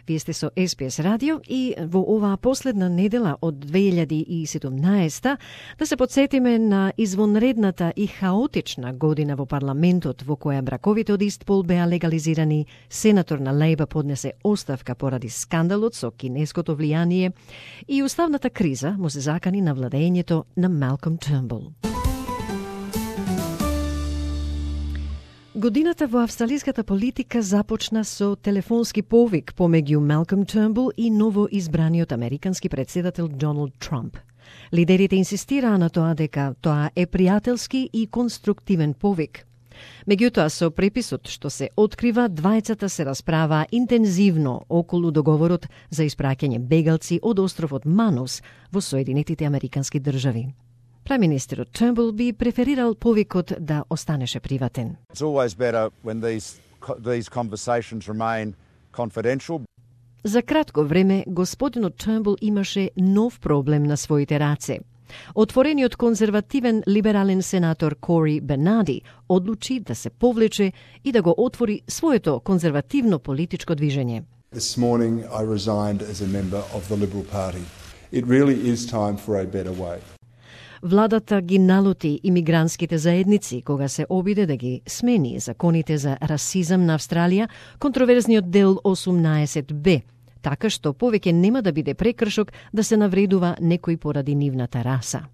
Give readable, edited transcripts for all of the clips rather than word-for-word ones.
Вие сте со СПС радио и во оваа последна недела од 2017 да се подсетиме на извонредната и хаотична година во парламентот во која браковите од ист пол беа легализирани, сенатор на Лејба поднесе оставка поради скандалот со кинеското влијание и уставната криза му се закани на владењето на Малком Тернбул. Годината во австралиската политика започна со телефонски повик помеѓу Малком Тернбул и ново избраниот американски претседател Доналд Трамп. Лидерите инсистираа на тоа дека тоа е пријателски и конструктивен повик. Меѓутоа, со преписот што се открива, двајцата се расправаа интензивно околу договорот за испраќање бегалци од островот Манус во Соединетите Американски држави. Преминистерот Тернбул би преферирал повикот да останеше приватен. It's always better when these conversations remain confidential. За кратко време, господинот Тернбул имаше нов проблем на своите раце. Отворениот конзервативен либерален сенатор Кори Бернади одлучи да се повлече и да го отвори своето конзервативно политичко движење. This morning I resigned as a member of the Liberal Party. It really is time for a better way. Владата ги налути имигрантските заедници кога се обиде да ги смени законите за расизам на Австралија, контроверзниот дел 18б, така што повеќе нема да биде прекршок да се навредува некој поради нивната раса.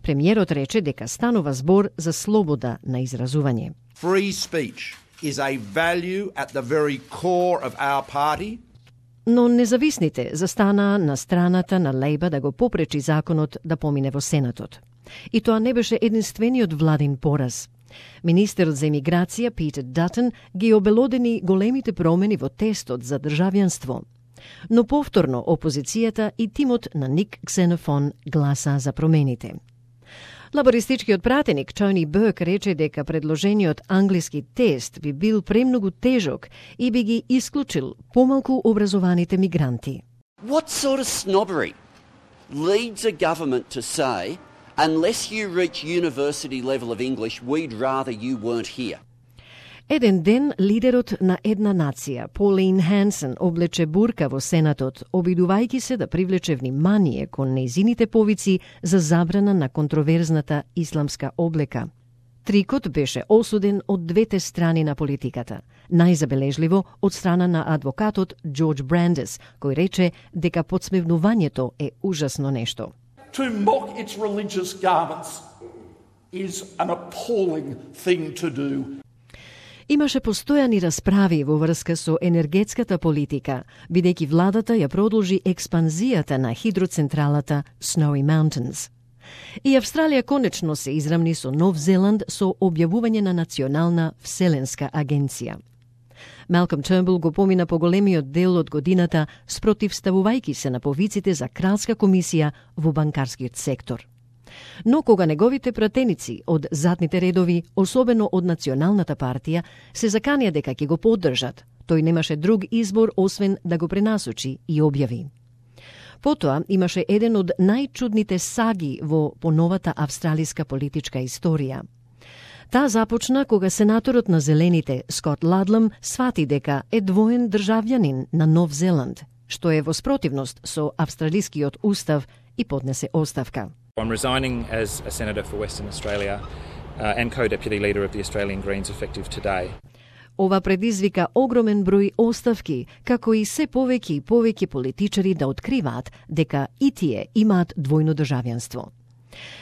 Премиерот рече дека станува збор за слобода на изразување. Free speech is a value at the very core of our party. Но независните застанаа на страната на Лејба да го попречи законот да помине во Сенатот. И тоа не беше единствениот владин пораз. Министерот за имиграција Питер Датън ги обелодени големите промени во тестот за државјанство. Но повторно опозицијата и тимот на Ник Ксенофон гласа за промените. Лабористичкиот пратеник Тони Бърк рече дека предложениот англиски тест би бил премногу тежок и би ги исклучил помалку образованите мигранти. What sort of snobbery leads a government to say, unless you reach university level of English, we'd rather you weren't here? Еден ден лидерот на една нација, Полин Хансен, облече бурка во Сенатот, обидувајќи се да привлече внимание кон нејзините повици за забрана на контроверзната исламска облека. Трикот беше осуден од двете страни на политиката. Најзабележливо од страна на адвокатот Джордж Брандес, кој рече дека подсмевнувањето е ужасно нешто. To mock its religious garments is an appalling thing to do. Имаше постојани расправи во врска со енергетската политика, бидејќи владата ја продолжи експанзијата на хидроцентралата Snowy Mountains. И Австралија конечно се израмни со Нов Зеланд со објавување на Национална вселенска агенција. Малком Тернбул го помина поголемиот дел од годината спротивставувајќи се на повиците за кралска комисија во банкарскиот сектор. Но кога неговите пратеници од задните редови, особено од Националната партија, се заканија дека ќе го поддржат, тој немаше друг избор освен да го пренасочи и објави. Потоа имаше еден од најчудните саги во поновата австралиска политичка историја. Таа започна кога сенаторот на Зелените, Скот Ладлам, свати дека е двоен државјанин на Нов Зеланд, што е во спротивност со австралискиот устав и поднесе оставка. I'm resigning as a Senator for Western Australia and co-deputy leader of the Australian Greens effective today. Ова предизвика огромен број оставки, како и се повеќе и повеќе политичари да откриваат дека и тие имаат двојно државјанство.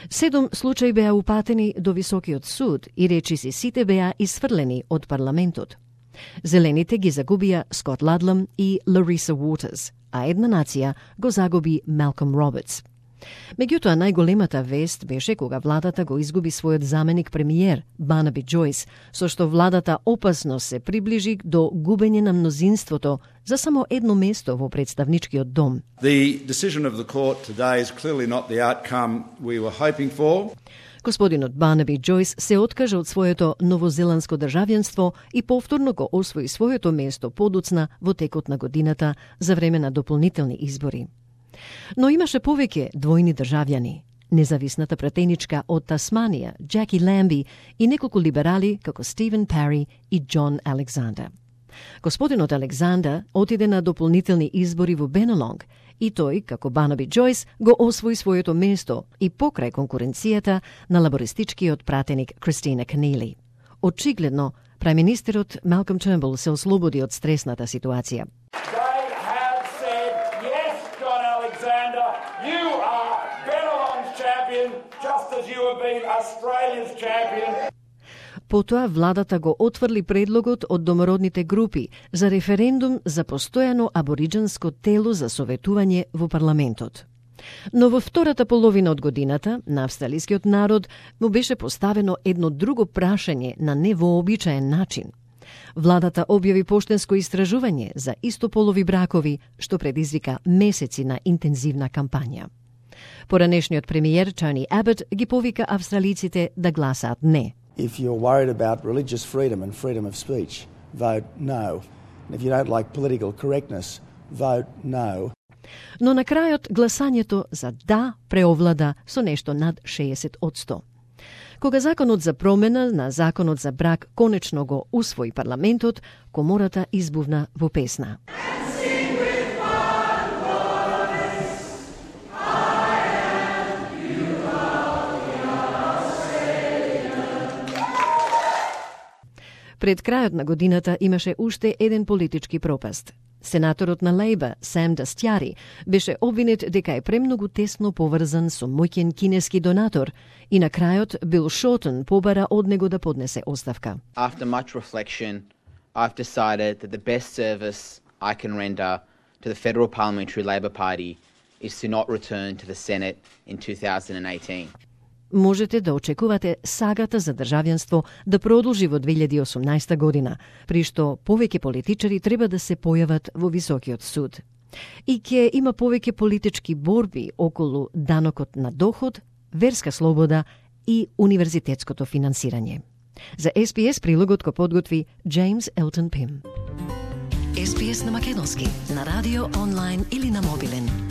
7 случаи беа упатени до Високиот суд и речиси сите беа исфрлени од парламентот. Зелените ги загубија Скот Ладлам и Лариса Уотерс, а една нација го загуби Малком Робертс. Меѓутоа, најголемата вест беше кога владата го изгуби својот заменик премиер, Барнаби Џојс, со што владата опасно се приближи до губење на мнозинството за само едно место во представничкиот дом. The decision of the court today is clearly not the outcome we were hoping for. Господинот Барнаби Џојс се откажа од своето новозеландско државјанство и повторно го освои своето место подоцна во текот на годината за време на дополнителни избори. Но имаше повеќе двојни државјани. Независната пратеничка од Тасманија, Джаки Ламби, и неколку либерали како Стивен Пари и Џон Александер. Господинот Александър отиде на дополнителни избори во Бенелонг и тој, како Барнаби Джойс, го освои своето место и покрај конкуренцијата на лабористичкиот пратеник Кристина Кенели. Очигледно, премиnisтерот Малком Тернбул се ослободи од стресната ситуација. They have said, yes, John Alexander, you are Bennelong's champion, just as you have been Australia's champion. Потоа владата го отврли предлогот од домородните групи за референдум за постојано абориџанско тело за советување во парламентот. Но во втората половина од годината на австралискиот народ му беше поставено едно друго прашање на невообичаен начин. Владата објави поштенско истражување за истополови бракови, што предизвика месеци на интензивна кампања. Поранешниот премиер Тони Абот ги повика австралиците да гласаат не. If you're worried about religious freedom and freedom of speech, vote no. And if you don't like political correctness, vote no. Но на крајот гласањето за да преовлада со нешто над 60%. Кога законот за промена на законот за брак конечно го усвои парламентот, комората избувна во песна. Пред крајот на годината имаше уште еден политички пропаст. Сенаторот на Лейбър, Сам Дастјари, беше обвинет дека е премногу тесно поврзан со моќен кинески донатор и на крајот Бил Шортон побара од него да поднесе оставка. After much reflection, I've decided that the best service I can render to the Federal Parliamentary Labor Party is to not return to the Senate in 2018. Можете да очекувате сагата за државјанство да продолжи во 2018 година, при што повеќе политичари треба да се појават во Високиот суд. И ќе има повеќе политички борби околу данокот на доход, верска слобода и универзитетското финансирање. За SBS прилогот го подготви Джеймс Елтон Пим. SBS на македонски, на радио, онлайн или на мобилен.